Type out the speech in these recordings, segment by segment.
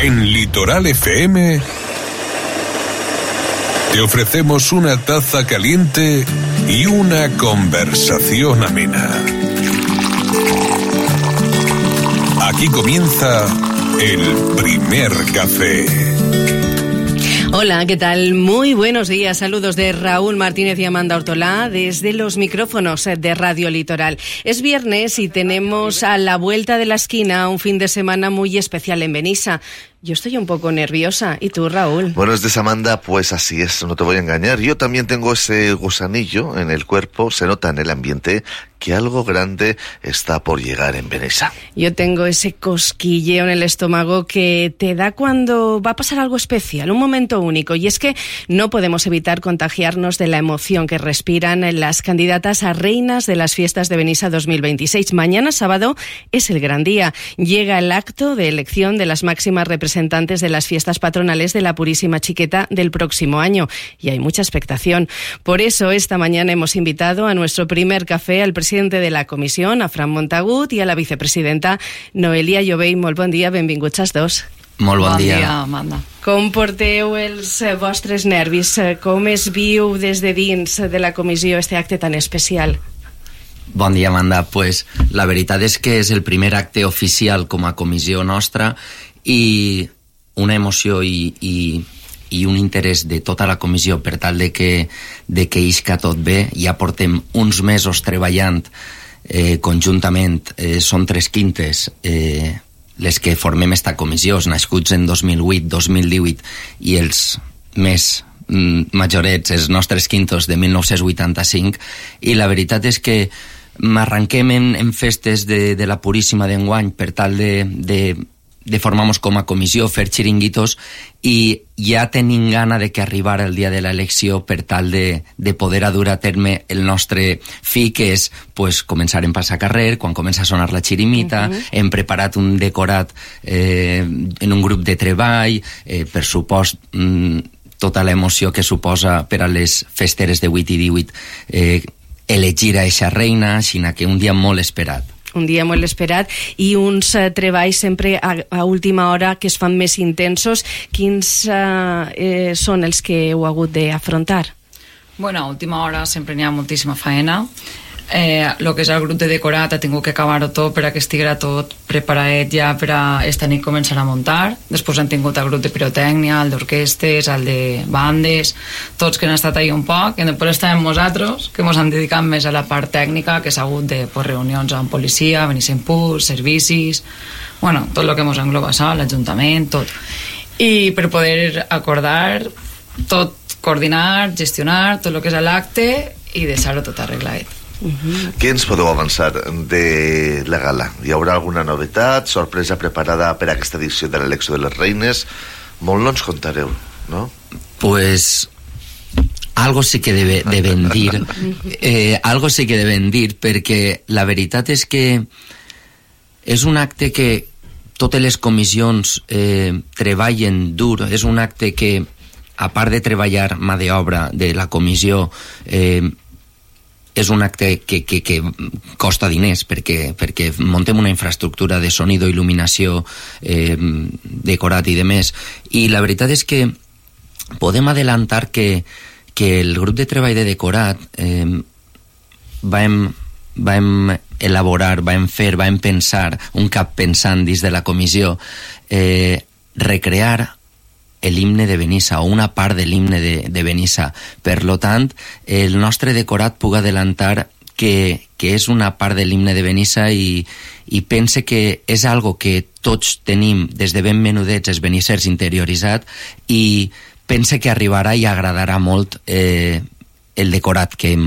En Litoral FM te ofrecemos una taza caliente y una conversación amena. Aquí comienza el primer café. Hola, ¿qué tal? Muy buenos días. Saludos de Raúl Martínez y Amanda Ortolá desde los micrófonos de Radio Litoral. Es viernes y tenemos a la vuelta de la esquina un fin de semana muy especial en Benissa. Yo estoy un poco nerviosa. ¿Y tú, Raúl? Buenos días, Amanda. Pues así es, no te voy a engañar. Yo también tengo ese gusanillo en el cuerpo. Se nota en el ambiente que algo grande está por llegar en Benissa. Yo tengo ese cosquilleo en el estómago que te da cuando va a pasar algo especial, un momento único. Y es que no podemos evitar contagiarnos de la emoción que respiran las candidatas a reinas de las fiestas de Benissa 2026. Mañana sábado es el gran día. Llega el acto de elección de las máximas representantes de las fiestas patronales de la Purísima Chiqueta del próximo año. Y hay mucha expectación. Por eso, esta mañana hemos invitado a nuestro primer café al presidente de la Comisión, a Fran Montagut, y a la vicepresidenta Noelia Llobell. Molt bon dia, benvinguts als dos. Molt bon dia, Amanda. Com porteu els vostres nervis? Com es viu des de dins de la comissió este acte tan especial? Bon dia, Amanda. Pues la veritat és que és el primer acte oficial com a comissió nostra i una emoció i un interès de tota la comissió per tal de que isca tot bé. Ja portem uns mesos treballant conjuntament. Són 3 quintes les que formem esta comissió, nascuts en 2008, 2018, i els més majorets, els nostres quintos de 1985, i la veritat és que m'arranquem en festes de la Puríssima d'enguany per tal de formar-nos com a comissió, fer xiringuitos, i ja tenim gana de que arribara el dia de l'elecció per tal de poder dur a terme el nostre fi, que és pues, començar en passacarrer, quan comença a sonar la xirimita. Hem preparat un decorat en un grup de treball, per supost tota l'emoció que suposa per a les festeres de 8 i 18 elegir a eixa reina, així que un dia molt esperat. Un dia molt esperat i uns treballs sempre a última hora que es fan més intensos. Quins són els que heu hagut d'afrontar? Bueno, a última hora sempre n'hi ha moltíssima faena. El que és el grup de decorat ha tingut que acabar-ho tot per a que estiguera tot preparat ja per a esta nit començar a muntar. Després han tingut el grup de pirotècnia, el d'orquestes, el de bandes, tots que han estat ahí un poc, i després estàvem nosaltres, que ens hem dedicat més a la part tècnica, que s'ha hagut de reunions amb policia, Benissa Impuls, servicis, bueno, tot el que ens engloba això, l'Ajuntament, tot. I per poder acordar tot, coordinar, gestionar tot el que és l'acte i deixar-ho tot arreglat. Què ens podeu avançar de la gala? Hi haurà alguna novetat, sorpresa preparada per a aquesta edició de l'elecció de les reines? Molt no ens contareu, no? Pues algo sí que deben dir. Algo sí que deben dir, perquè la veritat és que és un acte que totes les comissions treballen dur. És un acte que, a part de treballar mà d'obra de la comissió, és un acte que costa diners perquè montem una infraestructura de sonido, il·luminació, decorat i demés, i la veritat és que podem adelantar que el grup de treball de decorat vam elaborar, vam pensar, un cap pensant dins de la comissió, recrear l'himne de Benissa, o una part de l'himne de Benissa. Per lo tant, el nostre decorat puc adelantar que és una part de l'himne de Benissa i pense que és algo que tots tenim des de ben menudets els benissers interioritzat, i pense que arribarà i agradarà molt el decorat que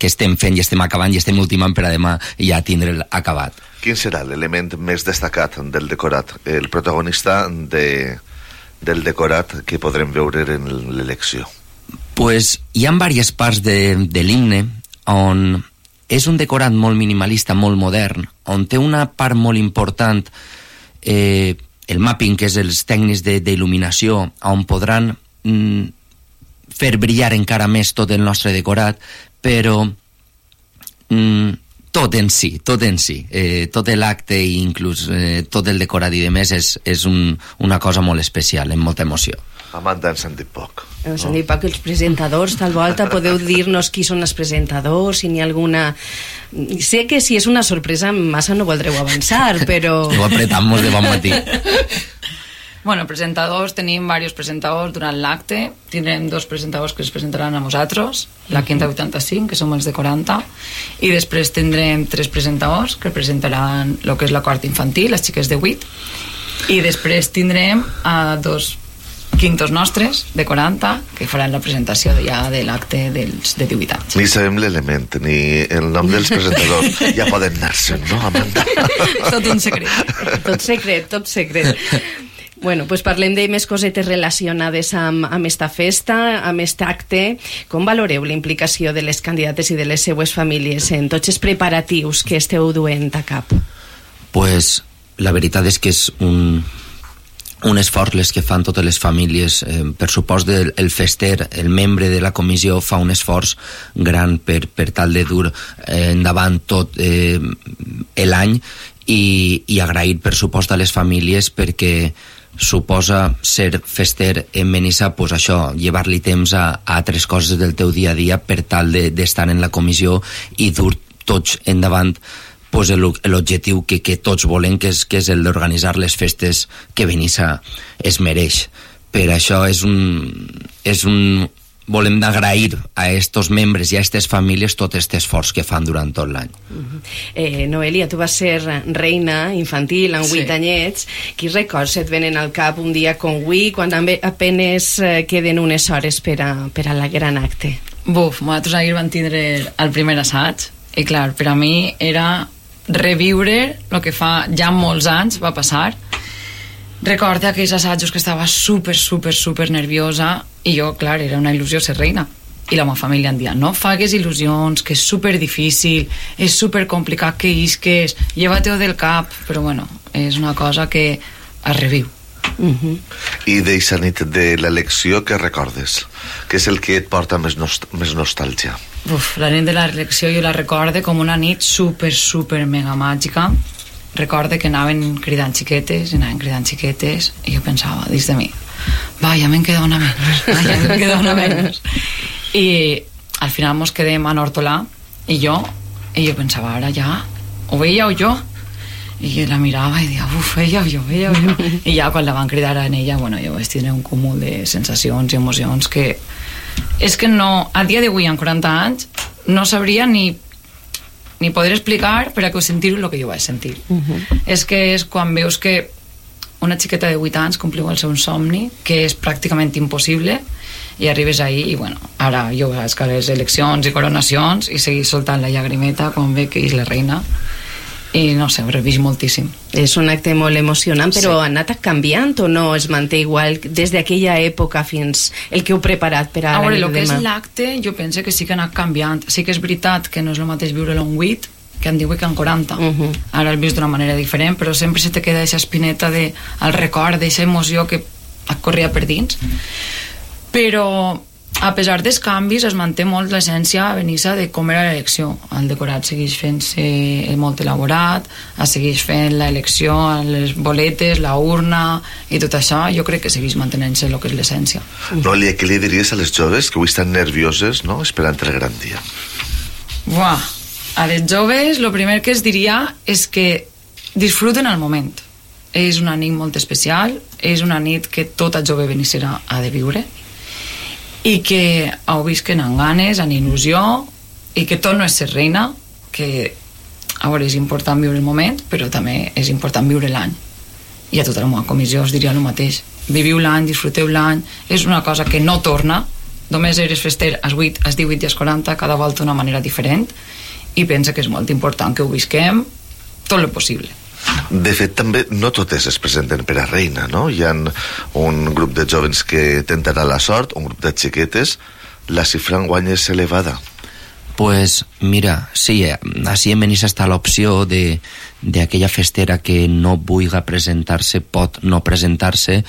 estem fent i estem acabant i estem ultimant per a demà ja tindre'l acabat. Quin serà l'element més destacat del decorat, el protagonista del decorat que podrem veure en l'elecció? Pues hi ha diverses parts de l'himne on és un decorat molt minimalista, molt modern, on té una part molt important el mapping, que és els tècnics d'il·luminació, on podran fer brillar encara més tot el nostre decorat, però Tot en si. Tot l'acte i inclús tot el decorat i de més és una cosa molt especial, amb molta emoció. Amanda, ens han dit poc. Ens han dit poc els presentadors, tal volta. Podeu dir-nos qui són els presentadors, si n'hi ha alguna... Sé que si és una sorpresa massa no voldreu avançar, però... Ho apretamos de bon matí. Bueno, presentadors, tenim diversos presentadors durant l'acte. Tindrem 2 presentadors que es presentaran a nosaltres, la Quinta 85, que som els de 40, i després tindrem 3 presentadors que presentaran el que és la quarta infantil, les xiques de 8, i després tindrem a 2 quintos nostres de 40 que faran la presentació ja de l'acte dels de 18 anys. Ni sabem l'element, ni el nom dels presentadors. Ja poden anar-se'n, no, Amanda? Tot un secret. Tot secret. Bueno, pues parlem de més cosetes relacionades amb esta festa, amb este acte. Com valoreu la implicació de les candidates i de les seues famílies en tots els preparatius que esteu duent a cap? Pues la veritat és que és un esforç les que fan totes les famílies. Per supost el fester, el membre de la comissió fa un esforç gran per tal de dur endavant tot l'any i agrair per supost a les famílies perquè suposa ser fester en Benissa, pues això, llevar-li temps a altres coses del teu dia a dia per tal d'estar en la comissió i dur tots endavant pues l'objectiu que tots volen, que és el d'organitzar les festes que Benissa es mereix. Per això volem d'agrair a estos membres i a aquestes famílies tot aquest esforç que fan durant tot l'any. Noelia, tu vas ser reina infantil amb 8 anyets. Quins records et venen al cap un dia com avui, quan apenes queden unes hores per a la gran acte? Nosaltres ahir vam tindre el primer assaig i clar, per a mi era reviure el que fa ja molts anys va passar. Recordo aquells assajos que estava super nerviosa i jo, clar, era una il·lusió ser reina i la meva família em dia, no fagues il·lusions, que és super difícil, és super complicat que isques, lleva-te-ho del cap, però bueno, és una cosa que es reviu. I d'eixa nit de l'elecció, què recordes? Què és el que et porta més nostàlgia? La nit de l'elecció jo la recorde com una nit super mega màgica. Recorde que anaven cridant xiquetes i jo pensava dins de mi, ja me'n queda una menys, i al final mos quedem a Hortolà i jo pensava, ara ja o ella o jo, i la mirava i deia, ella o jo i ja quan la van cridar en ella, bueno, jo vaig tindre un cúmul de sensacions i emocions que és que no, a dia d'avui amb 40 anys no sabria ni poder explicar per a que ho sentir el que jo vaig sentir. És que és quan veus que una xiqueta de 8 anys compliu el seu somni, que és pràcticament impossible, i arribes ahí i bueno, ara jo vaig a les eleccions i coronacions i seguir soltant la llagrimeta quan ve que és la reina i no sé, ho revís moltíssim. És un acte molt emocionant, però ha anat canviant o no es manté igual des d'aquella època fins el que heu preparat per a l'any de demà? El que és l'acte jo penso que sí que ha anat canviant. Sí que és veritat que no és el mateix viure-lo en 8 que en 18 que en 40. Ara el vius d'una manera diferent, però sempre se te queda aquesta espineta del record, d'aquesta emoció que et corria per dins. Però a pesar dels canvis es manté molt l'essència a Benissa de com era l'elecció. El decorat segueix fent-se molt elaborat, es segueix fent l'elecció, les boletes, la urna i tot això, jo crec que segueix mantenint-se el que és l'essència. Noelia, què li diries a les joves que avui estan nervioses, no?, esperant el gran dia? A les joves el primer que es diria és que disfruten el moment. És una nit molt especial, és una nit que tota jove benissera ha de viure i que heu vist que n'han ganes, en il·lusió, i que tot no és ser reina, que a veure, és important viure el moment, però també és important viure l'any. I a tota la meva comissió us diria el mateix. Viviu l'any, disfruteu l'any, és una cosa que no torna, només eres fester als 8, als 18 i als 40, cada volta d'una manera diferent, i pensa que és molt important que ho visquem tot el possible. De fet, també no totes es presenten per a reina, no? Hi ha un grup de jovens que tentarà la sort, un grup de xiquetes, la xifra enguany és elevada. Pues mira, sí, així en Benissa està l'opció d'aquella festera que no vulga presentar-se, pot no presentar-se.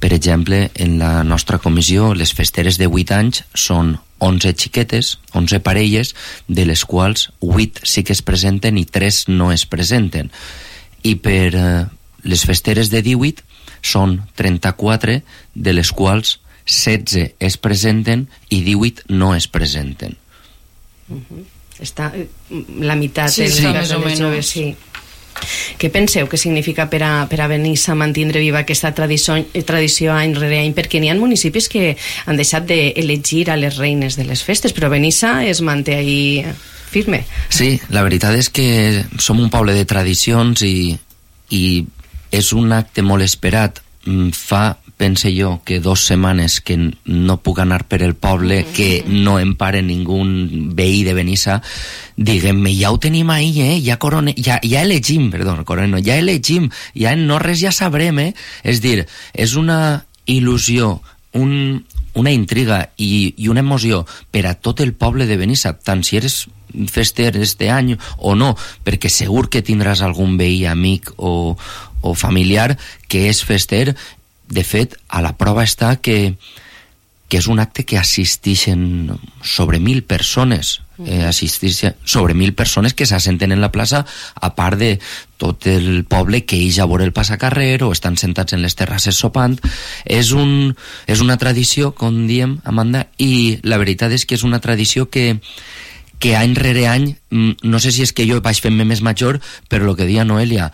Per exemple, en la nostra comissió, les festeres de 8 anys són 11 xiquetes, 11 parelles, de les quals 8 sí que es presenten i 3 no es presenten. I per les festeres de 18 són 34, de les quals 16 es presenten i 18 no es presenten. Està la meitat sí, més o menys. Joves, sí. Què penseu que significa per a Benissa mantindre viva aquesta tradició any rere any? Perquè n'hi ha municipis que han deixat d'elegir a les reines de les festes, però Benissa es manté ahí firme. Sí, la veritat és que som un poble de tradicions i és un acte molt esperat. Fa, pense jo, que 2 setmanes que no puc anar per el poble, que no em pare ningú veí de Benissa, diguem-me, ja ho tenim ahí, ja elegim, ja en no res ja sabrem, És dir, és una il·lusió, una intriga i una emoció per a tot el poble de Benissa, tant si eres fester este any o no, perquè segur que tindràs algun veí, amic o familiar que és fester. De fet, a la prova està que és un acte que assisteixen sobre 1.000 persones, sobre 1.000 persones que s'assenten en la plaça, a part de tot el poble que eix a veure el passacarrer o estan sentats en les terrasses sopant. És una tradició, com diem, Amanda, i la veritat és que és una tradició que any rere any, no sé si és que jo vaig fent-me més major, però el que deia Noelia,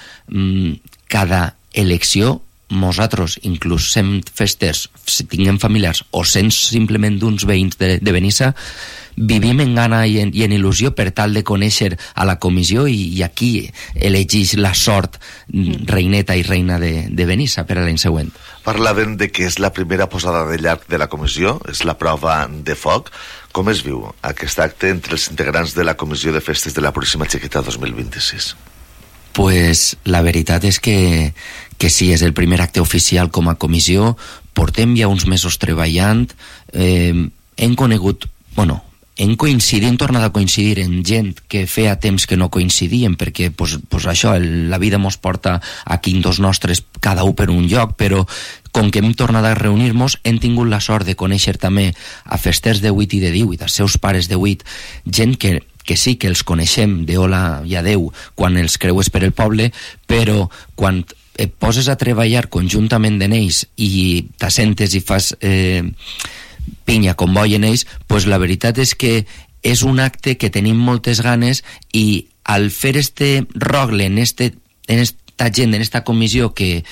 cada elecció, nosaltres, inclús sent festers, si tinguem familiars o sent simplement d'uns veïns de Benissa, vivim en gana i en il·lusió per tal de conèixer a la comissió i aquí elegeix la sort reineta i reina de Benissa per a l'any següent. Parlaven de que és la primera posada de llarg de la comissió, és la prova de foc. Com es viu aquest acte entre els integrants de la comissió de festes de la Puríssima Xiqueta 2026? Pues la veritat és que sí, és el primer acte oficial com a comissió. Portem ja uns mesos treballant, hem tornat a coincidir en gent que feia temps que no coincidíem, perquè pues això, la vida mos porta a quintos nostres, cada un per un lloc, però com que hem tornat a reunir-nos, hem tingut la sort de conèixer també a festers de 8 i de 18, als seus pares de 8, gent que sí que els coneixem de hola i adeu quan els creues per el poble, però quan et poses a treballar conjuntament en ells i t'assentes i fas pinya com boi en ells, pues la veritat és que és un acte que tenim moltes ganes i al fer este rogle en esta gent, en esta comissió que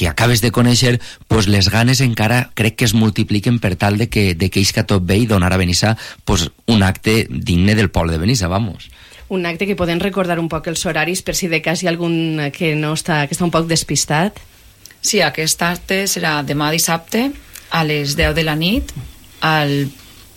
acabes de conèixer, pues les ganes encara crec que es multipliquen per tal de que isca tot bé i donar a Benissa pues un acte digne del poble de Benissa, vamos. Un acte que podem recordar un poc els horaris per si de cas hi ha algun que està un poc despistat. Sí, aquest acte serà demà dissabte a les 10 de la nit al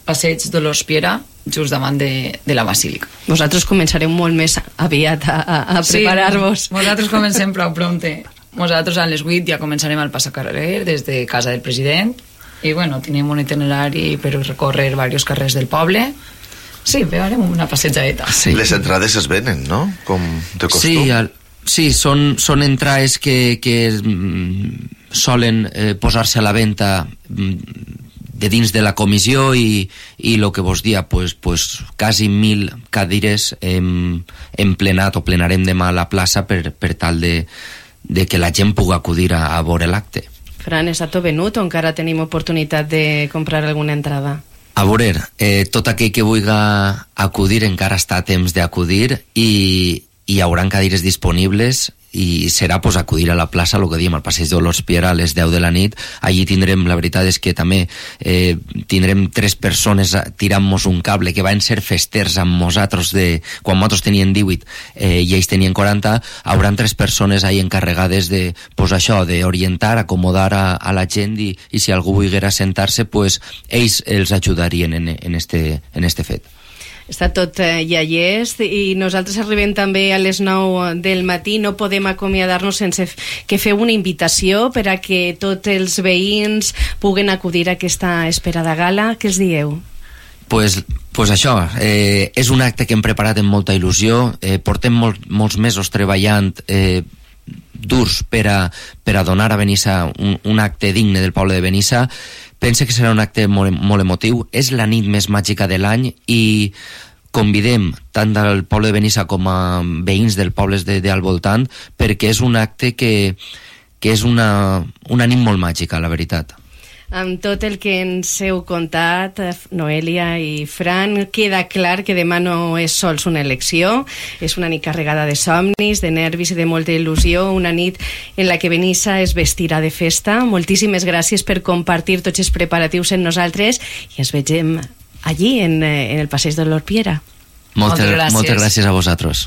passeig Dolors Piera, just davant de la Basílica. Vosaltres començareu molt més aviat a preparar-vos. Sí, nosaltres comencem prou prompte. Nosaltres a les 8 ja començarem al passacarrer des de casa del president i bueno, tenim un itinerari per recórrer diversos carrers del poble. Sí, farem una passejadeta. Sí. Les entrades es venen, no? Com de costum. Sí, són entrades que solen posar-se a la venda de dins de la comissió i el que vos dia, pues quasi 1.000 cadires hem plenat o plenarem demà a la plaça per tal de que la gent pugui acudir a veure l'acte. Fran, està tot venut o encara tenim oportunitat de comprar alguna entrada? A veure, tot aquell que vulgui acudir encara està a temps d'acudir i hi haurà cadires disponibles i serà pues, acudir a la plaça, el que diem, al passeig Dolors Piera a les 10 de la nit. Allí tindrem, la veritat és que també tindrem 3 persones tirant-nos un cable que van ser festers amb nosaltres quan nosaltres tenien 18 i ells tenien 40, hauran 3 persones ahí encarregades de, pues, això, d'orientar, acomodar a la gent i si algú volguera sentar-se, pues, ells els ajudarien en este fet. Està tot ja llest i nosaltres arribem també a les 9 del matí. No podem acomiadar-nos sense que feu una invitació per a que tots els veïns puguen acudir a aquesta esperada gala. Què els dieu? Pues això, és un acte que hem preparat amb molta il·lusió, portem molts mesos treballant durs per a donar a Benissa un acte digne del poble de Benissa. Pense que serà un acte molt emotiu, és la nit més màgica de l'any i convidem tant del poble de Benissa com a veïns dels pobles al voltant, perquè és un acte que és una nit molt màgica, la veritat. Amb tot el que ens heu contat, Noelia i Fran, queda clar que demà no és sols una elecció, és una nit carregada de somnis, de nervis i de molta il·lusió, una nit en la que Benissa es vestirà de festa. Moltíssimes gràcies per compartir tots els preparatius amb nosaltres i ens vegem allí, en el passeig de l'Orpiera. Moltes gràcies a vosaltres.